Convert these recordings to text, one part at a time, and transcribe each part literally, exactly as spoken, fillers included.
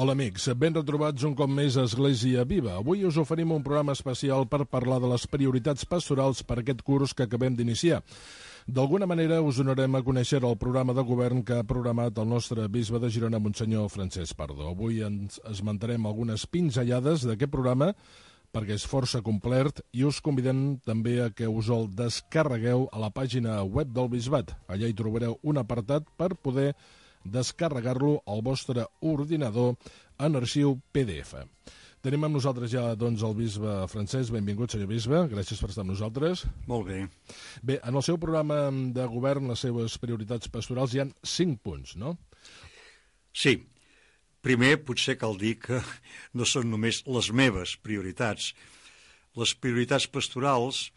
Hola amics, ben retrobats un cop més a Església Viva. Avui us oferim un programa especial per parlar de les prioritats pastorals per aquest curs que acabem d'iniciar. D'alguna manera us donarem a conèixer el programa de govern que ha programat el nostre bisbe de Girona, Monsenyor Francesc Pardo. Avui ens esmentarem algunes pinzellades d'aquest programa perquè és força complet i us convidem també a que us el descarregueu a la pàgina web del Bisbat. Allà hi trobareu un apartat per poder descarregar-lo al vostre ordinador en arxiu P D F. Tenim amb nosaltres ja doncs, el bisbe Francesc. Benvingut, senyor bisbe. Gràcies per estar amb nosaltres. Molt bé. Bé, en el seu programa de govern, les seves prioritats pastorals, hi ha cinc punts, no? Sí. Primer, potser cal dir que no són només les meves prioritats. Les prioritats pastorals,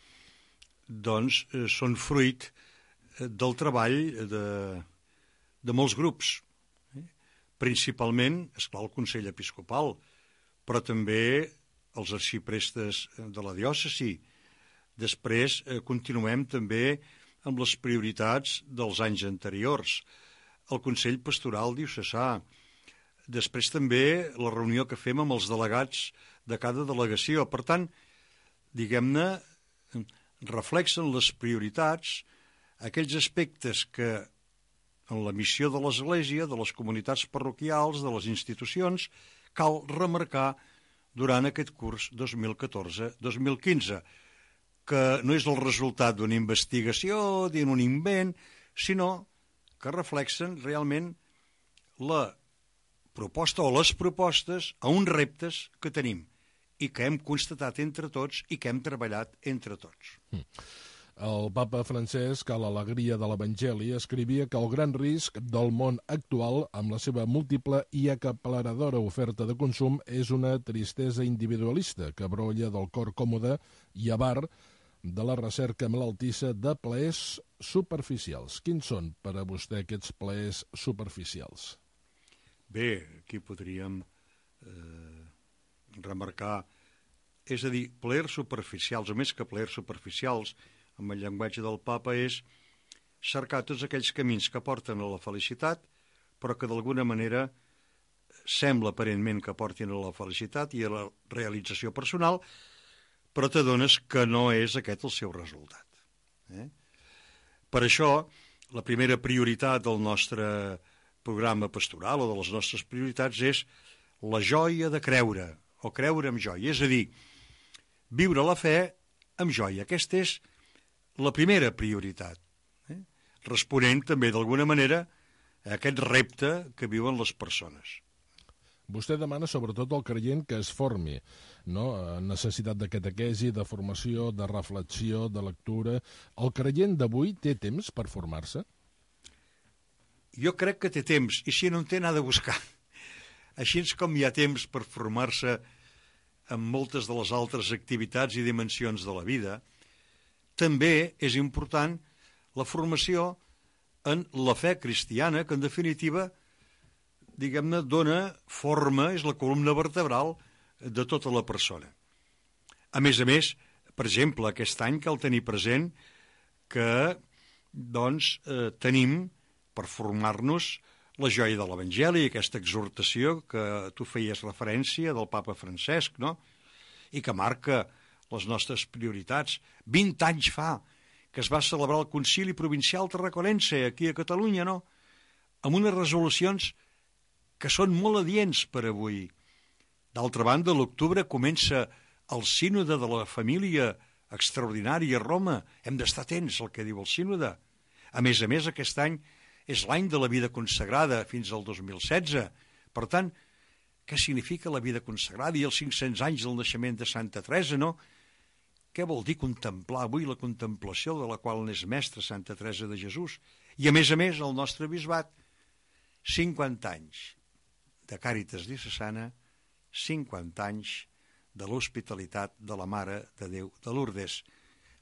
doncs, són fruit del treball de, de molts grups. Principalment, esclar, el Consell Episcopal, però també els arxiprestes de la diòcesi. Després eh, continuem també amb les prioritats dels anys anteriors. El Consell Pastoral Diocesà. Després també la reunió que fem amb els delegats de cada delegació. Per tant, diguem-ne, reflexen les prioritats, aquells aspectes que en la missió de l'Església, de les comunitats parroquials, de les institucions, cal remarcar durant aquest curs dos mil catorze dos mil quinze, que no és el resultat d'una investigació, d'un invent, sinó que reflexen realment la proposta o les propostes a uns reptes que tenim i que hem constatat entre tots i que hem treballat entre tots. El papa Francesc, a l'alegria de l'Evangeli, escrivia que el gran risc del món actual, amb la seva múltiple i acapleradora oferta de consum, és una tristesa individualista que brolla del cor còmode i avar de la recerca malaltissa de plaers superficials. Quins són per a vostè aquests plaers superficials? Bé, aquí podríem eh, remarcar, és a dir, plaers superficials, o més que plaers superficials, amb el llenguatge del papa, és cercar tots aquells camins que porten a la felicitat, però que d'alguna manera sembla aparentment que portin a la felicitat i a la realització personal, però t'adones que no és aquest el seu resultat. Eh? Per això, la primera prioritat del nostre programa pastoral o de les nostres prioritats és la joia de creure, o creure amb joia, és a dir, viure la fe amb joia. Aquesta és la primera prioritat, eh? Responent també d'alguna manera a aquest repte que viuen les persones. Vostè demana sobretot al creient que es formi, no? Necessitat de catequesi, de formació, de reflexió, de lectura. El creient d'avui té temps per formar-se? Jo crec que té temps, i si no en té, n'ha de buscar. Així com hi ha temps per formar-se en moltes de les altres activitats i dimensions de la vida, també és important la formació en la fe cristiana, que en definitiva, diguem-ne, dona forma, és la columna vertebral de tota la persona. A més a més, per exemple, aquest any cal tenir present que, doncs, eh, tenim per formar-nos la joia de l'Evangeli, aquesta exhortació que tu feies referència del papa Francesc, no? I que marca les nostres prioritats. vint anys fa que es va celebrar el Concili Provincial Tarraconense aquí a Catalunya, no? Amb unes resolucions que són molt adients per avui. D'altra banda, a l'octubre comença el sínode de la família extraordinària a Roma. Hem d'estar atents al que diu el sínode. A més a més, aquest any és l'any de la vida consagrada fins al dos mil setze. Per tant, què significa la vida consagrada i els cinc-cents anys del naixement de Santa Teresa, no? Què vol dir contemplar avui la contemplació de la qual n'és mestra Santa Teresa de Jesús? I a més a més, el nostre bisbat, cinquanta anys de Càritas Diocesana, cinquanta anys de l'hospitalitat de la Mare de Déu de Lourdes.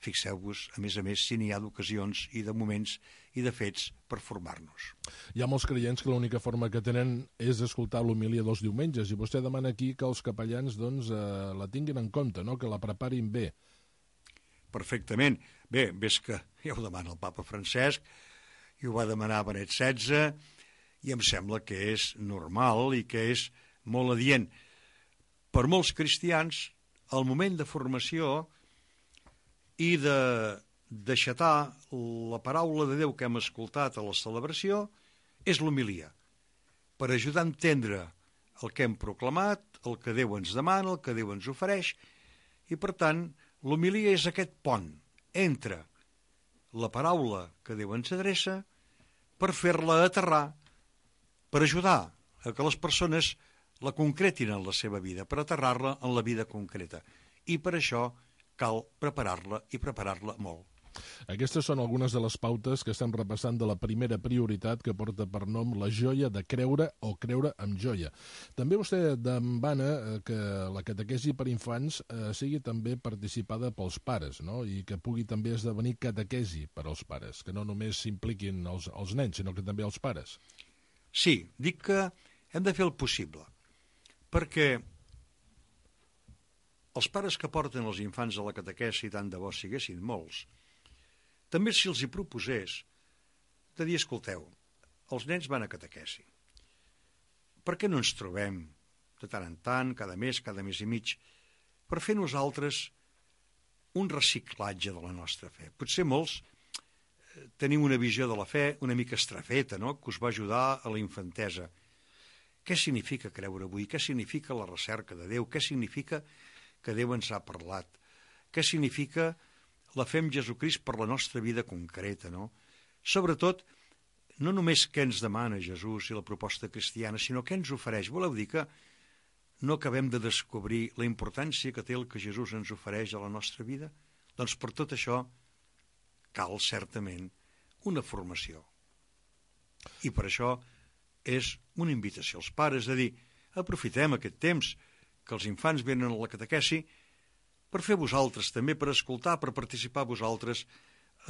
Fixeu-vos, a més a més, si n'hi ha d'ocasions i de moments i de fets per formar-nos. Hi ha molts creients que l'única forma que tenen és escoltar l'homilia dels diumenges, i vostè demana aquí que els capellans doncs, eh, la tinguin en compte, no? Que la preparin bé. Perfectament. Bé, ves que ja ho demana el papa Francesc, i ho va demanar Benet setze, i em sembla que és normal i que és molt adient. Per molts cristians, el moment de formació i de deixatar la paraula de Déu que hem escoltat a la celebració és l'homilia, per ajudar a entendre el que hem proclamat, el que Déu ens demana, el que Déu ens ofereix, i per tant l'homilia és aquest pont entre la paraula que Déu ens adreça per fer-la aterrar, per ajudar a que les persones la concretin en la seva vida, per aterrar-la en la vida concreta. I per això cal preparar-la i preparar-la molt. Aquestes són algunes de les pautes que estem repassant de la primera prioritat que porta per nom la joia de creure o creure amb joia. També vostè demana que la catequesi per infants eh, sigui també participada pels pares, no? I que pugui també esdevenir catequesi per als pares, que no només s'impliquin els, els nens, sinó que també els pares. Sí, dic que hem de fer el possible, perquè els pares que porten els infants a la catequesi, tant de bo siguessin molts, també si els hi proposés de dir, escolteu, els nens van a catequesi. Per què no ens trobem de tant en tant, cada mes, cada mes i mig, per fer nosaltres un reciclatge de la nostra fe? Potser molts eh, tenim una visió de la fe una mica estrafeta, no?, que us va ajudar a la infantesa. Què significa creure avui? Què significa la recerca de Déu? Què significa que Déu ens ha parlat? Què significa la fe en Jesucrist per la nostra vida concreta, no? Sobretot, no només què ens demana Jesús i la proposta cristiana, sinó què ens ofereix. Voleu dir que no acabem de descobrir la importància que té el que Jesús ens ofereix a la nostra vida? Doncs per tot això cal, certament, una formació. I per això és una invitació als pares de dir, aprofitem aquest temps que els infants venen a la catequesi per fer vosaltres també, per escoltar, per participar vosaltres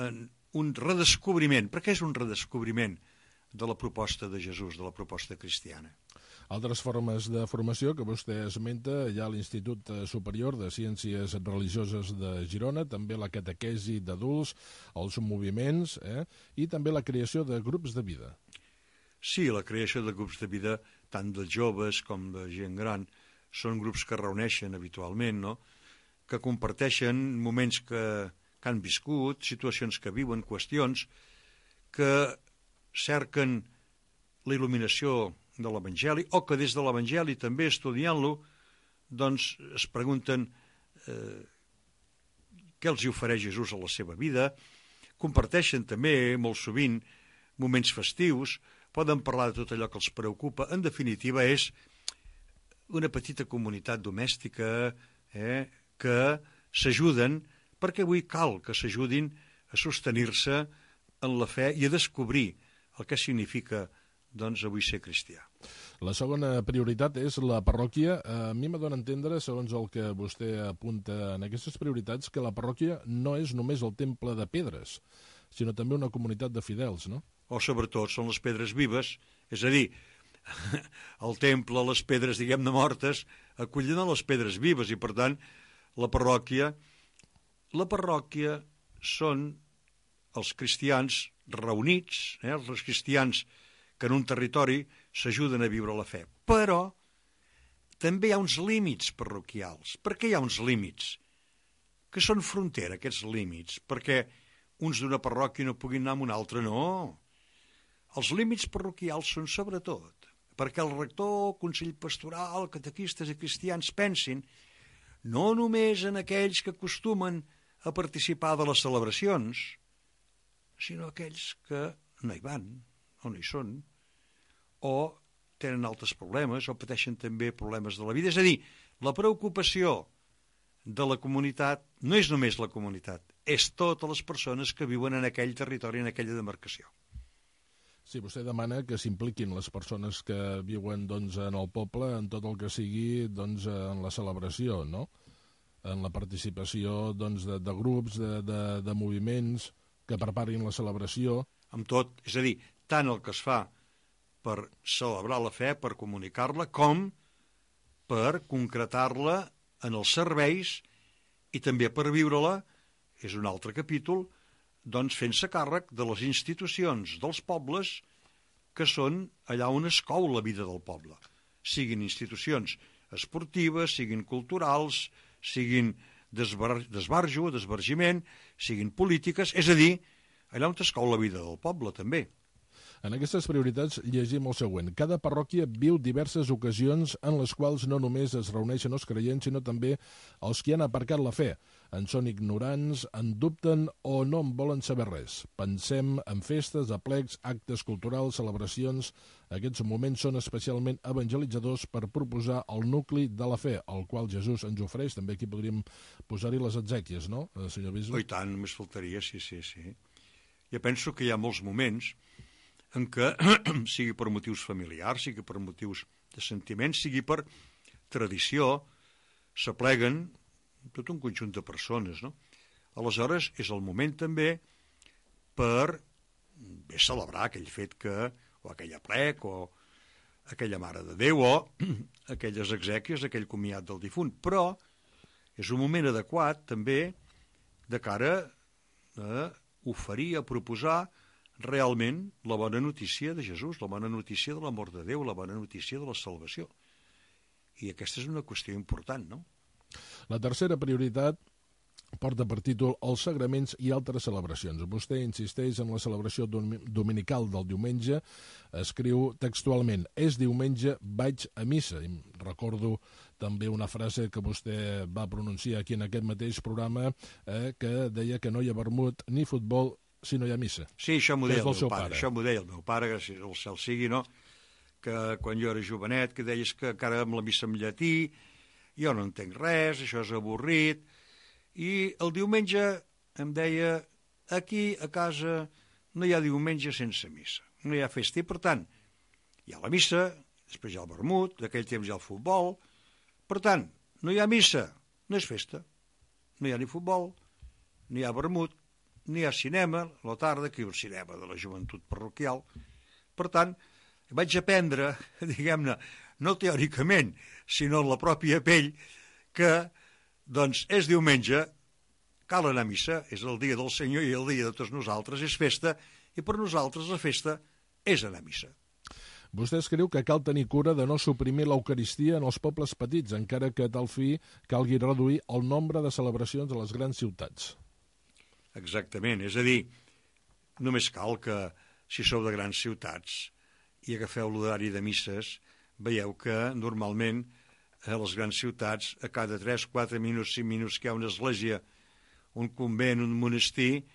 en un redescobriment. Per què és un redescobriment de la proposta de Jesús, de la proposta cristiana? Altres formes de formació que vostè esmenta, hi ha l'Institut Superior de Ciències Religioses de Girona, també la catequesi d'adults, els moviments, eh? I també la creació de grups de vida. Sí, la creació de grups de vida, tant de joves com de gent gran, són grups que reuneixen habitualment, no?, que comparteixen moments que, que han viscut, situacions que viuen, qüestions, que cerquen la il·luminació de l'Evangeli, o que des de l'Evangeli també estudiant-lo, doncs es pregunten eh, què els hi ofereix Jesús a la seva vida, comparteixen també molt sovint moments festius, poden parlar de tot allò que els preocupa. En definitiva, és una petita comunitat domèstica, eh, que s'ajuden, perquè avui cal que s'ajudin a sostenir-se en la fe i a descobrir el que significa, doncs, avui ser cristià. La segona prioritat és la parròquia. A mi m'adona entendre, segons el que vostè apunta en aquestes prioritats, que la parròquia no és només el temple de pedres, sinó també una comunitat de fidels, no? O sobretot són les pedres vives, és a dir, el temple, les pedres, diguem-ne, mortes, acullen a les pedres vives i, per tant, la parròquia, la parròquia són els cristians reunits, eh, els cristians que en un territori s'ajuden a viure la fe. Però també hi ha uns límits parroquials. Per què hi ha uns límits? Que són frontera, aquests límits, perquè uns d'una parròquia no puguin anar a una altra, no. Els límits parroquials són sobretot perquè el rector, consell pastoral, catequistes i cristians pensin no només en aquells que acostumen a participar de les celebracions, sinó aquells que no hi van, o no hi són, o tenen altres problemes, o pateixen també problemes de la vida. És a dir, la preocupació de la comunitat no és només la comunitat, és totes les persones que viuen en aquell territori, en aquella demarcació. Sí, vostè demana que s'impliquin les persones que viuen doncs, en el poble en tot el que sigui doncs, en la celebració, no? En la participació doncs, de, de grups, de, de, de moviments que preparin la celebració. Amb tot, és a dir, tant el que es fa per celebrar la fe, per comunicar-la, com per concretar-la en els serveis i també per viure-la, és un altre capítol, doncs fent-se càrrec de les institucions dels pobles que són allà on es cou la vida del poble. siguin institucions esportives, siguin culturals, siguin d'esbar d'esbarjo, d'esbargiment, siguin polítiques, és a dir, allà on es cau la vida del poble, també. En aquestes prioritats llegim el següent. Cada parròquia viu diverses ocasions en les quals no només es reuneixen els creients, sinó també els que han aparcat la fe. En són ignorants, en dubten o no en volen saber res. Pensem en festes, aplecs, actes culturals, celebracions. Aquests moments són especialment evangelitzadors per proposar el nucli de la fe, el qual Jesús ens ofereix. També aquí podríem posar-hi les exèquies, no, senyor bisbe? Oh, i tant, només faltaria, sí, sí, sí. Jo penso que hi ha molts moments en què, sigui per motius familiars, sigui per motius de sentiments, sigui per tradició, s'apleguen tot un conjunt de persones, no? Aleshores, és el moment també per bé celebrar aquell fet que, o aquell aplec, o aquella Mare de Déu, o aquelles exèquies, aquell comiat del difunt, però és un moment adequat també de cara a oferir, a proposar realment la bona notícia de Jesús, la bona notícia de l'amor de Déu, la bona notícia de la salvació. I aquesta és una qüestió important, no? La tercera prioritat porta per títol Els sagraments i altres celebracions. Vostè insisteix en la celebració dominical del diumenge, escriu textualment: és diumenge, vaig a missa. I recordo també una frase que vostè va pronunciar aquí en aquest mateix programa, eh, que deia que no hi ha vermut ni futbol si no hi ha missa. Sí, això m'ho deia el meu pare. pare. Això m'ho deia el meu pare, gràcies al cel sigui, no? Que quan jo era jovenet, que deies que encara amb la missa en llatí, jo no entenc res, això és avorrit. I el diumenge em deia, aquí a casa no hi ha diumenge sense missa, no hi ha festa. I per tant, hi ha la missa, després hi ha el vermut, d'aquell temps hi ha el futbol. Per tant, no hi ha missa, no és festa. No hi ha ni futbol, ni hi ha vermut, ni hi ha cinema, a la tarda, aquí el cinema de la joventut parroquial. Per tant, vaig aprendre, diguem-ne, no teòricament, sinó en la pròpia pell, que, doncs, és diumenge, cal anar a missa, és el dia del Senyor i el dia de tots nosaltres, és festa, i per nosaltres la festa és anar a missa. Vostè escriu que cal tenir cura de no suprimir l'Eucaristia en els pobles petits, encara que a tal fi calgui reduir el nombre de celebracions a les grans ciutats. Exactament, és a dir, només cal que, si sou de grans ciutats i agafeu l'horari de misses, veieu que normalment a les grans ciutats, a cada tres, quatre minuts, cinc minuts que hi ha una església, un convent, un monestir,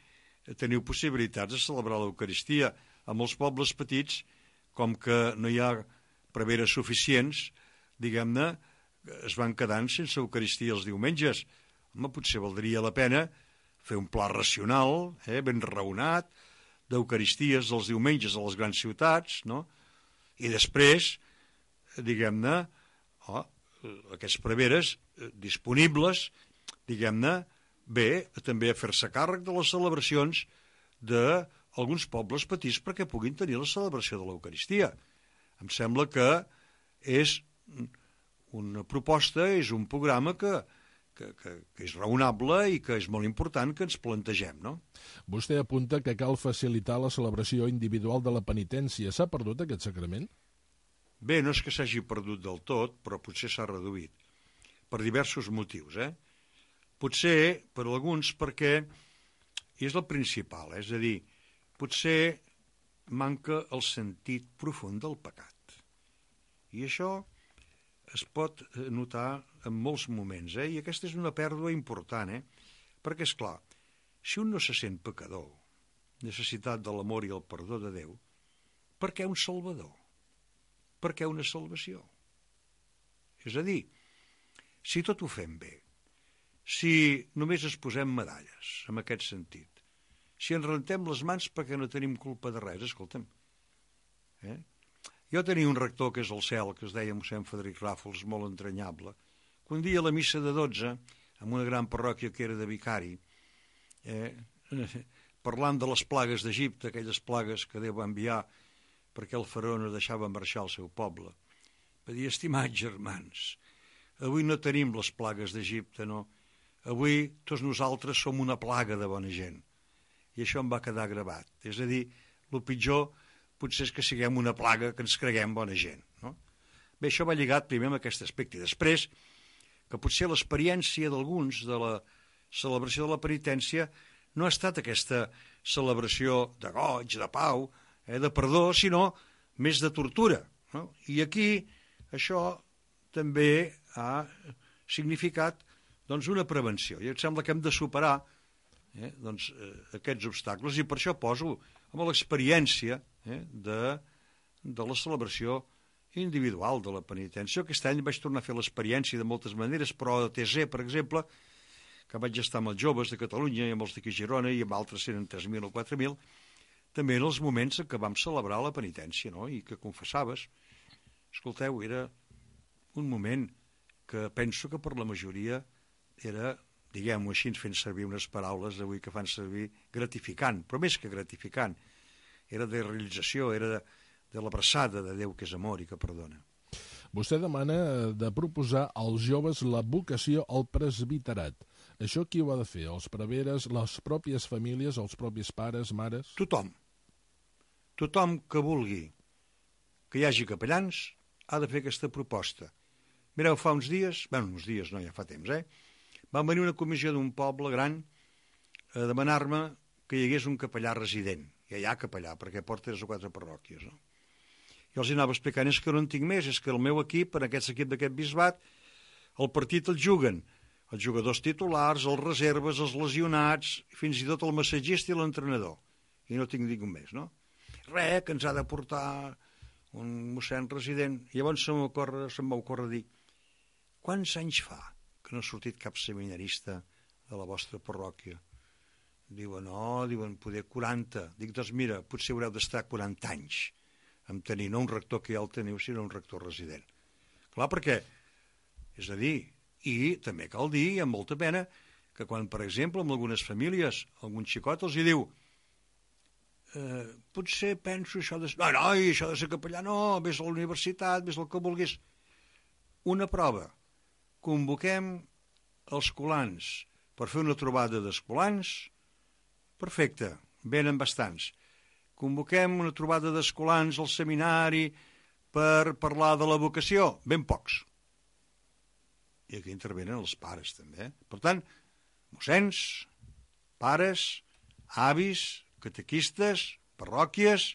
teniu possibilitats de celebrar l'Eucaristia. A molts pobles petits, com que no hi ha preveres suficients, diguem-ne, es van quedant sense Eucaristia els diumenges. Home, potser valdria la pena fer un pla racional, eh, ben raonat, d'Eucaristies els diumenges a les grans ciutats, no? I després, diguem-ne, oh, aquests preveres eh, disponibles, diguem-ne, bé, també a fer-se càrrec de les celebracions d'alguns pobles petits perquè puguin tenir la celebració de l'Eucaristia. Em sembla que és una proposta, és un programa que Que, que, que és raonable i que és molt important que ens plantegem, no? Vostè apunta que cal facilitar la celebració individual de la penitència. S'ha perdut aquest sacrament? Bé, no és que s'hagi perdut del tot, però potser s'ha reduït, per diversos motius, eh? Potser, per alguns, perquè és el principal, eh? És a dir, potser manca el sentit profund del pecat. I això es pot notar en molts moments, eh? I aquesta és una pèrdua important, eh? Perquè, és clar, si un no se sent pecador, necessitat de l'amor i el perdó de Déu, per què un salvador? Per què una salvació? És a dir, si tot ho fem bé, si només es posem medalles, en aquest sentit, si ens rentem les mans perquè no tenim culpa de res, escolta'm, eh? Jo tenia un rector que és al cel, que es deia mossèn Frederic Ràfols, molt entranyable, que un dia a la missa de dotze, en una gran parròquia que era de vicari, eh, parlant de les plagues d'Egipte, aquelles plagues que Déu va enviar perquè el faraó no deixava marxar el seu poble, va dir: estimats germans, avui no tenim les plagues d'Egipte, no. Avui tots nosaltres som una plaga de bona gent. I això em va quedar gravat. És a dir, el pitjor potser és que siguem una plaga, que ens creguem bona gent, no? Bé, això va lligat primer amb aquest aspecte. I després, que potser l'experiència d'alguns de la celebració de la penitència no ha estat aquesta celebració de goig, de pau, eh, de perdó, sinó més de tortura. No? I aquí això també ha significat doncs, una prevenció. I em sembla que hem de superar eh, doncs, eh, aquests obstacles, i per això poso amb l'experiència eh, de, de la celebració individual de la penitència. Aquest any vaig tornar a fer l'experiència de moltes maneres, però a T Z, per exemple, que vaig estar amb els joves de Catalunya i amb els d'aquí a Girona i amb altres eren tres mil o quatre mil, també en els moments en què vam celebrar la penitència, no? I que confessaves. Escolteu, era un moment que penso que per la majoria era, diguem-ho així, fent servir unes paraules avui que fan servir, gratificant, però més que gratificant. Era de realització, era de, de l'abraçada de Déu que és amor i que perdona. Vostè demana de proposar als joves la vocació al presbiterat. Això qui ho ha de fer? Els preveres, les pròpies famílies, els propis pares, mares? Tothom. Tothom que vulgui que hi hagi capellans ha de fer aquesta proposta. Mireu, fa uns dies, bé, uns dies no, ja fa temps, eh? Van venir una comissió d'un poble gran a demanar-me que hi hagués un capellà resident. Ja hi ha capellà, perquè porta tres o quatre parròquies, no? I els anava explicant, és que no en tinc més, és que el meu equip, en aquest equip d'aquest bisbat, el partit el juguen els jugadors titulars, els reserves, els lesionats, fins i tot el massatgista i l'entrenador. I no tinc ningú més, no? Res, que ens ha de portar un mossèn resident. I llavors se'm va ocórrer dir, quants anys fa que no ha sortit cap seminarista de la vostra parròquia? Diuen, no, diuen, poder quaranta. Dic, doncs mira, potser haureu d'estar quaranta anys en tenir no un rector que ja el teniu, sinó un rector resident. Clar, perquè, és a dir, i també cal dir, amb molta pena, que quan, per exemple, en algunes famílies, algun xicot els hi diu eh, potser penso això de... No, no, això de ser capellà, no, vés a la universitat, vés el que vulguis. Una prova. Convoquem els colans per fer una trobada d'escolans. Perfecte, venen bastants. Convoquem una trobada d'escolans al seminari per parlar de la vocació. Ben pocs. I aquí intervenen els pares, també. Per tant, mossens, pares, avis, catequistes, parròquies,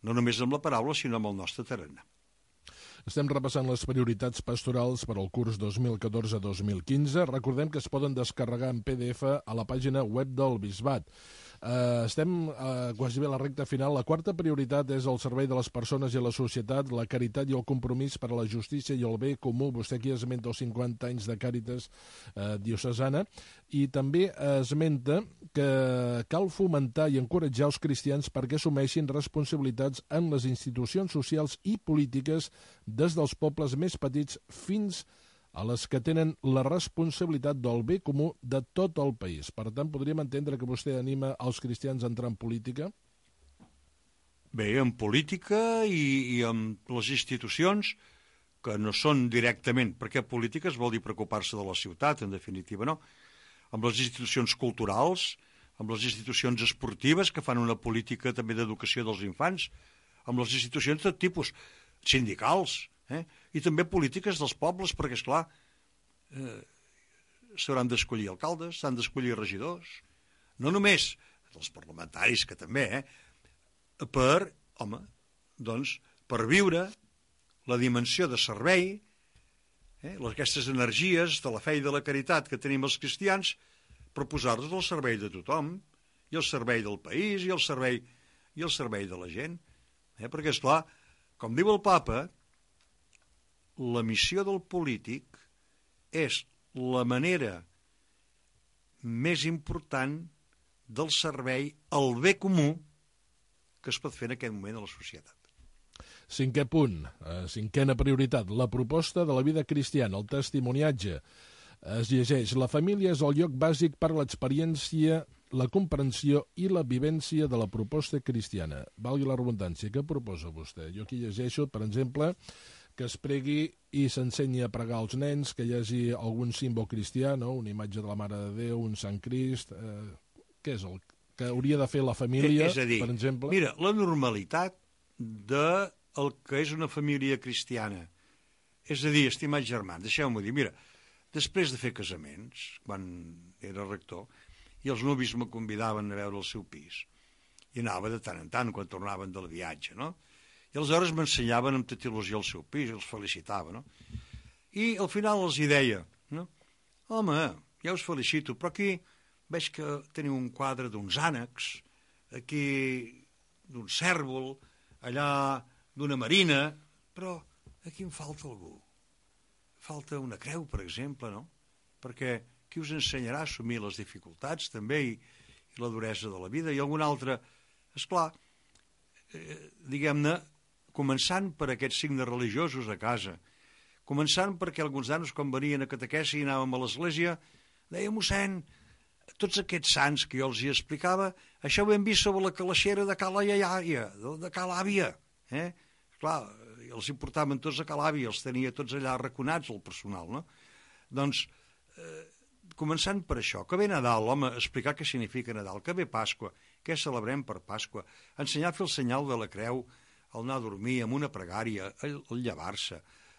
no només amb la paraula, sinó amb el nostre tarannà. Estem repassant les prioritats pastorals per al curs dos mil catorze dos mil quinze. Recordem que es poden descarregar en P D F a la pàgina web del Bisbat. Uh, estem uh, quasi bé a la recta final. La quarta prioritat és el servei de les persones i la societat, la caritat i el compromís per a la justícia i el bé comú. Vostè aquí esmenta els cinquanta anys de Càritas uh, diocesana i també esmenta que cal fomentar i encoratjar els cristians perquè assumeixin responsabilitats en les institucions socials i polítiques des dels pobles més petits fins a les que tenen la responsabilitat del bé comú de tot el país. Per tant, podríem entendre que vostè anima els cristians a entrar en política? Bé, en política i, i en les institucions, que no són directament, perquè polítiques vol dir preocupar-se de la ciutat, en definitiva, no? Amb les institucions culturals, amb les institucions esportives, que fan una política també d'educació dels infants, amb les institucions de tipus sindicals, eh? I també polítiques dels pobles, perquè, esclar, eh, s'hauran d'escollir alcaldes, s'han d'escollir regidors, no només els parlamentaris, que també, eh? per, home, doncs, per viure la dimensió de servei, eh? aquestes energies de la fe i de la caritat que tenim els cristians, per posar-los al servei de tothom, i al servei del país, i al servei, i al servei de la gent. Eh? Perquè, esclar, com diu el papa, la missió del polític és la manera més important del servei al bé comú que es pot fer en aquest moment a la societat. Cinquè punt, eh, cinquena prioritat, la proposta de la vida cristiana, el testimoniatge. Es llegeix, la família és el lloc bàsic per a l'experiència, la comprensió i la vivència de la proposta cristiana. Valgui la redundància, què proposa vostè? Jo aquí llegeixo, per exemple, que es pregui i s'ensenyi a pregar als nens, que hi hagi algun símbol cristià, no? Una imatge de la Mare de Déu, un Sant Crist... Eh, què és el que hauria de fer la família, és a dir, per exemple? Mira, la normalitat de el que és una família cristiana, és a dir, estimats germans, deixeu-m'ho dir, mira, després de fer casaments, quan era rector, i els nuvis me convidaven a veure el seu pis, i anava de tant en tant quan tornaven del viatge, no? I aleshores m'ensenyaven amb tota il·lusió el seu pis, els felicitava, no? I al final els hi deia, no? Home, ja us felicito, però aquí veig que teniu un quadre d'uns ànecs, aquí d'un cèrvol, allà d'una marina, però aquí em falta algú. Falta una creu, per exemple, no? Perquè qui us ensenyarà a assumir les dificultats, també, i, i la duresa de la vida, i algun altre, esclar, eh, diguem-ne, començant per aquests signes religiosos a casa, començant perquè alguns nanos, quan venien a catequesi i anàvem a l'església, deia, mossèn, tots aquests sants que jo els hi explicava, això ho hem vist sobre la calaixera de Cala Iaia, de Cala Àvia, eh? Clar, els hi portaven tots a Cala Àvia, els tenia tots allà arraconats, el personal, no? Doncs, eh, començant per això, que ve Nadal, home, explicar què significa Nadal, que ve Pasqua, què celebrem per Pasqua, ensenyar a fer el senyal de la creu, el anar a dormir amb una pregària, el, el llevar-se,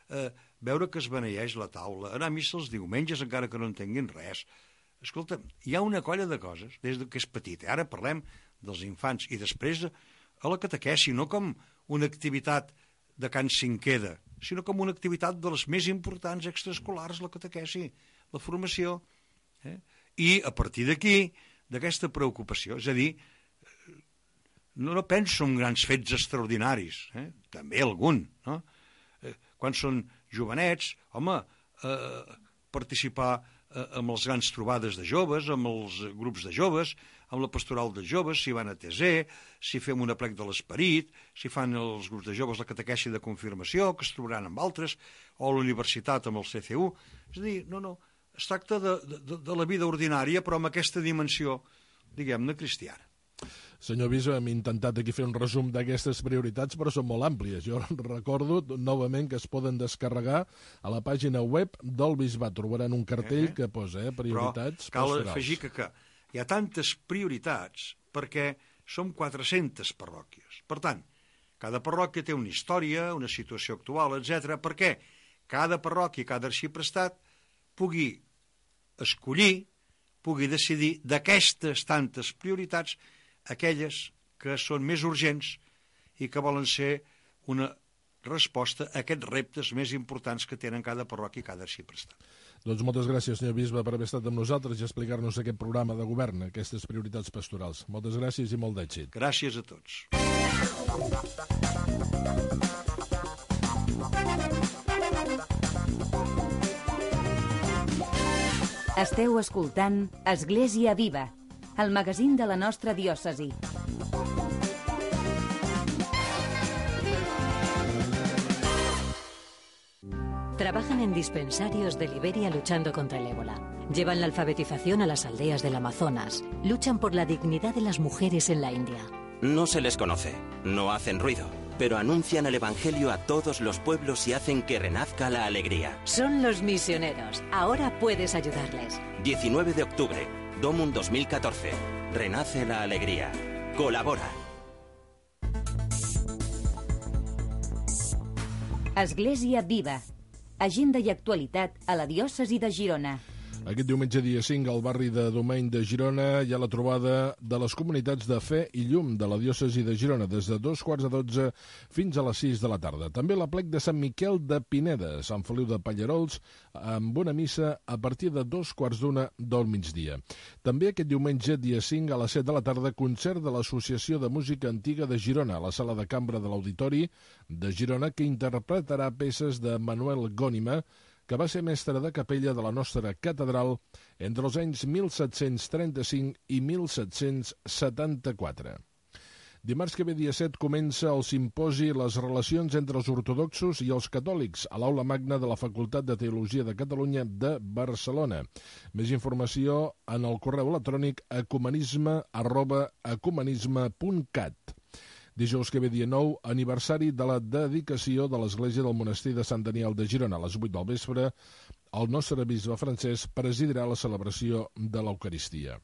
eh, veure que es beneeix la taula, anar a missa els diumenges encara que no entenguin res. Escolta, hi ha una colla de coses des que és petit. Ara parlem dels infants i després a la catequesi, no com una activitat de Can Cinqueda, sinó com una activitat de les més importants extraescolars, la catequesi, la formació. Eh? I a partir d'aquí, d'aquesta preocupació, és a dir, no, no penso en grans fets extraordinaris, eh? També algun, no? Eh, quan són jovenets, home, eh, participar eh, amb les grans trobades de joves, amb els grups de joves, amb la pastoral de joves, si van a T Z, si fem un aplec de l'esperit, si fan els grups de joves la catequesi de confirmació, que es trobaran amb altres, o a la universitat amb el C C U. És a dir, no, no, es tracta de, de, de la vida ordinària, però amb aquesta dimensió, diguem-ne, cristiana. Senyor bisbe, hem intentat aquí fer un resum d'aquestes prioritats, però són molt àmplies. Jo recordo novament que es poden descarregar a la pàgina web del bisbat. Trobaran un cartell eh? que posa eh, prioritats però cal pastorals. Afegir que, que hi ha tantes prioritats perquè som quatre-centes parròquies. Per tant, cada parròquia té una història, una situació actual, etcètera, perquè cada parròquia, cada arxiprestat pugui escollir, pugui decidir d'aquestes tantes prioritats aquelles que són més urgents i que volen ser una resposta a aquests reptes més importants que tenen cada parròquia i cada arxiprestat. Doncs moltes gràcies, senyor bisbe, per haver estat amb nosaltres i explicar-nos aquest programa de govern, aquestes prioritats pastorals. Moltes gràcies i molt d'èxit. Gràcies a tots. Esteu escoltant Església Viva, el magazín de la nostra diòcesi. Trabajan en dispensarios de Liberia luchando contra el ébola. Llevan la alfabetización a las aldeas del Amazonas. Luchan por la dignidad de las mujeres en la India. No se les conoce, no hacen ruido, pero anuncian el Evangelio a todos los pueblos y hacen que renazca la alegría. Son los misioneros. Ahora puedes ayudarles. diecinueve de octubre, Domum dos mil catorce. Renace la alegría. Colabora. Església Viva. Agenda i actualitat a la diòcesi de Girona. Aquest diumenge dia cinc al barri de Domeny de Girona hi ha la trobada de les comunitats de Fe i Llum de la diòcesi de Girona des de dos quarts de dotze fins a les sis de la tarda. També l'aplec de Sant Miquel de Pineda, Sant Feliu de Pallarols, amb una missa a partir de dos quarts d'una del migdia. També aquest diumenge dia cinc a les set de la tarda concert de l'Associació de Música Antiga de Girona a la sala de cambra de l'Auditori de Girona que interpretarà peces de Manuel Gónima, que va ser mestre de capella de la nostra catedral entre els anys mil set-cents trenta-cinc i mil set-cents setanta-quatre. Dimarts que ve dia set comença el simposi Les relacions entre els ortodoxos i els catòlics a l'Aula Magna de la Facultat de Teologia de Catalunya de Barcelona. Més informació en el correu electrònic ecumenisme arroba ecumenisme punt cat. Dijous que ve dia nou, aniversari de la dedicació de l'església del monestir de Sant Daniel de Girona. A les vuit del vespre, el nostre bisbe francès presidirà la celebració de l'Eucaristia.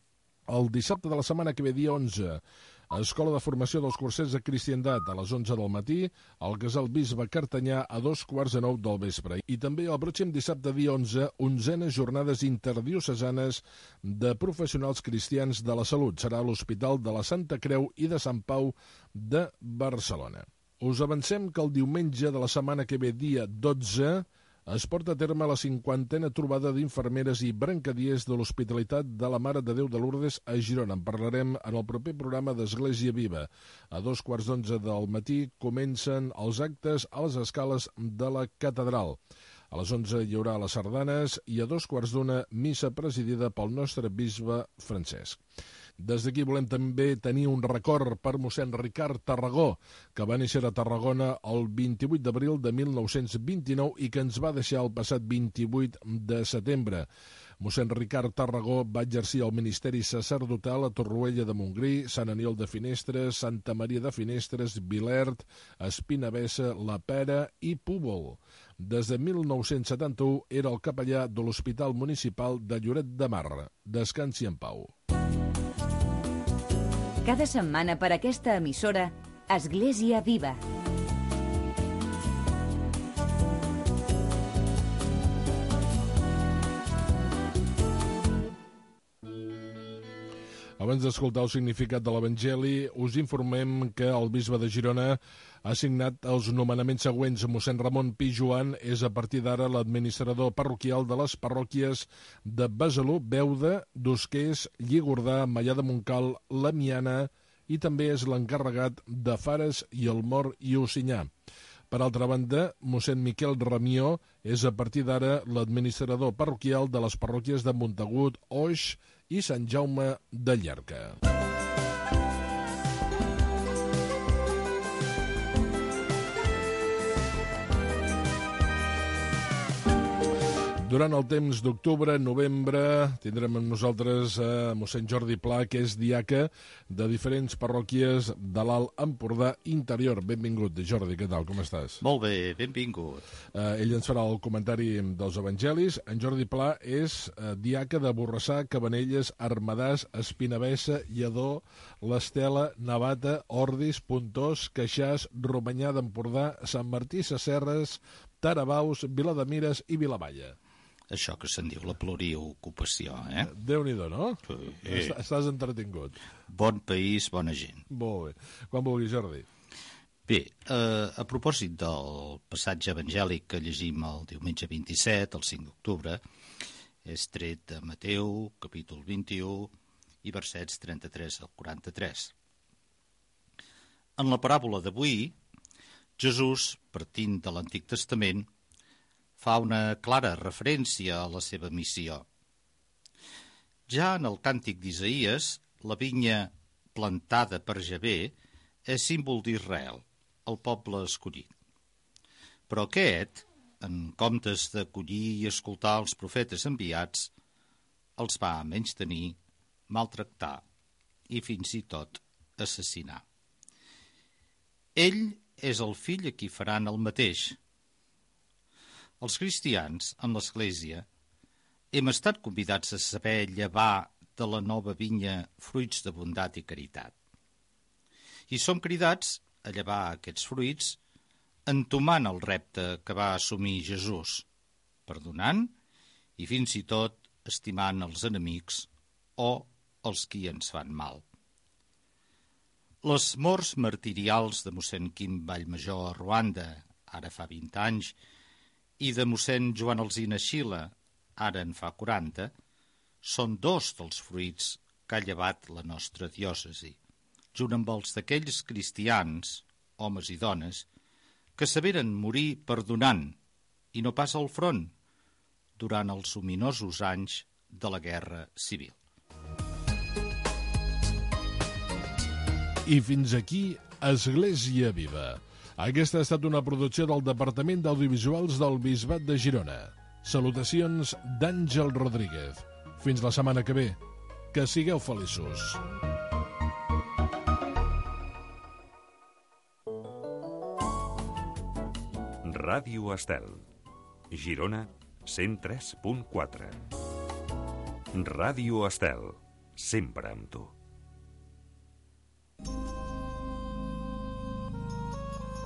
El dissabte de la setmana que ve dia onze, Escola de Formació dels Cursers de Cristiandat a les onze del matí, al Casal Bisbe Cartanyà a dos quarts de nou del vespre. I també el pròxim dissabte dia onze, onzenes jornades interdiocesanes de professionals cristians de la salut. Serà a l'Hospital de la Santa Creu i de Sant Pau de Barcelona. Us avancem que el diumenge de la setmana que ve, dia dotze, es porta a terme la cinquantena trobada d'infermeres i brancadiers de l'Hospitalitat de la Mare de Déu de Lourdes a Girona. En parlarem en el proper programa d'Església Viva. A dos quarts d'onze del matí comencen els actes a les escales de la catedral. A les onze hi haurà les sardanes i a dos quarts d'una missa presidida pel nostre bisbe Francesc. Des d'aquí volem també tenir un record per mossèn Ricard Tarragó, que va néixer a Tarragona el vint-i-vuit d'abril de mil nou-cents vint-i-nou i que ens va deixar el passat vint-i-vuit de setembre. Mossèn Ricard Tarragó va exercir el ministeri sacerdotal a Torroella de Montgrí, Sant Aniol de Finestres, Santa Maria de Finestres, Vilert, Espinavessa, La Pera i Púbol. Des de mil nou-cents setanta-u era el capellà de l'Hospital Municipal de Lloret de Mar. Descansi en pau. Cada setmana per aquesta emissora, Església Viva. Abans d'escoltar el significat de l'Evangeli, us informem que el bisbe de Girona ha signat els nomenaments següents. Mossèn Ramon Pi Joan és a partir d'ara l'administrador parroquial de les parròquies de Besalú, Beuda, Dosquers, Lligordà, Maià de Montcal, La Miana i també és l'encarregat de Fares i el Mor i Ocinyà. Per altra banda, mossèn Miquel Ramió és a partir d'ara l'administrador parroquial de les parròquies de Montagut, Oix i Sant Jaume de Llierca. Durant el temps d'octubre, novembre, tindrem amb nosaltres a mossèn Jordi Pla, que és diaca de diferents parròquies de l'Alt Empordà interior. Benvingut, Jordi, què tal, com estàs? Molt bé, benvingut. Uh, ell ens farà el comentari dels evangelis. En Jordi Pla és uh, diaca de Borrassà, Cabanelles, Armadàs, Espinavessa, Lledó, l'Estela, Navata, Ordis, Pontós, Queixàs, Romanyà d'Empordà, Sant Martí Sesserres, Tarabaus, Vilademires i Vilamalla. Això que se'n diu la pluriocupació, eh? Déu-n'hi-do, no? Sí. Estàs entretingut. Bon país, bona gent. Molt bé. Quan vulguis, Jordi. Bé, eh, a propòsit del passatge evangèlic que llegim el diumenge vint-i-set, el cinc d'octubre, és tret de Mateu, capítol vint-i-u, i versets trenta-tres al quaranta-tres. En la paràbola d'avui, Jesús, partint de l'Antic Testament, fa una clara referència a la seva missió. Ja en el càntic d'Isaïes, la vinya plantada per Javé és símbol d'Israel, el poble escollit. Però aquest, en comptes d'acollir i escoltar els profetes enviats, els va menystenir, maltractar i fins i tot assassinar. Ell és el fill a qui faran el mateix. Els cristians, en l'Església, hem estat convidats a saber llevar de la nova vinya fruits de bondat i caritat. I som cridats a llevar aquests fruits entomant el repte que va assumir Jesús, perdonant i fins i tot estimant els enemics o els qui ens fan mal. Les morts martirials de mossèn Quim Vallmajor a Ruanda, ara fa vint anys, i de mossèn Joan Alsina Xila, ara en fa quaranta, són dos dels fruits que ha llevat la nostra diòcesi, junt amb els d'aquells cristians, homes i dones, que saberen morir perdonant i no pas al front durant els ominosos anys de la Guerra Civil. I fins aquí Església Viva. Aquesta ha estat una producció del Departament d'Audiovisuals del Bisbat de Girona. Salutacions d'Àngel Rodríguez. Fins la setmana que ve. Que sigueu feliços. Ràdio Estel. Girona, cent tres punt quatre. Ràdio Estel. Sempre amb tu.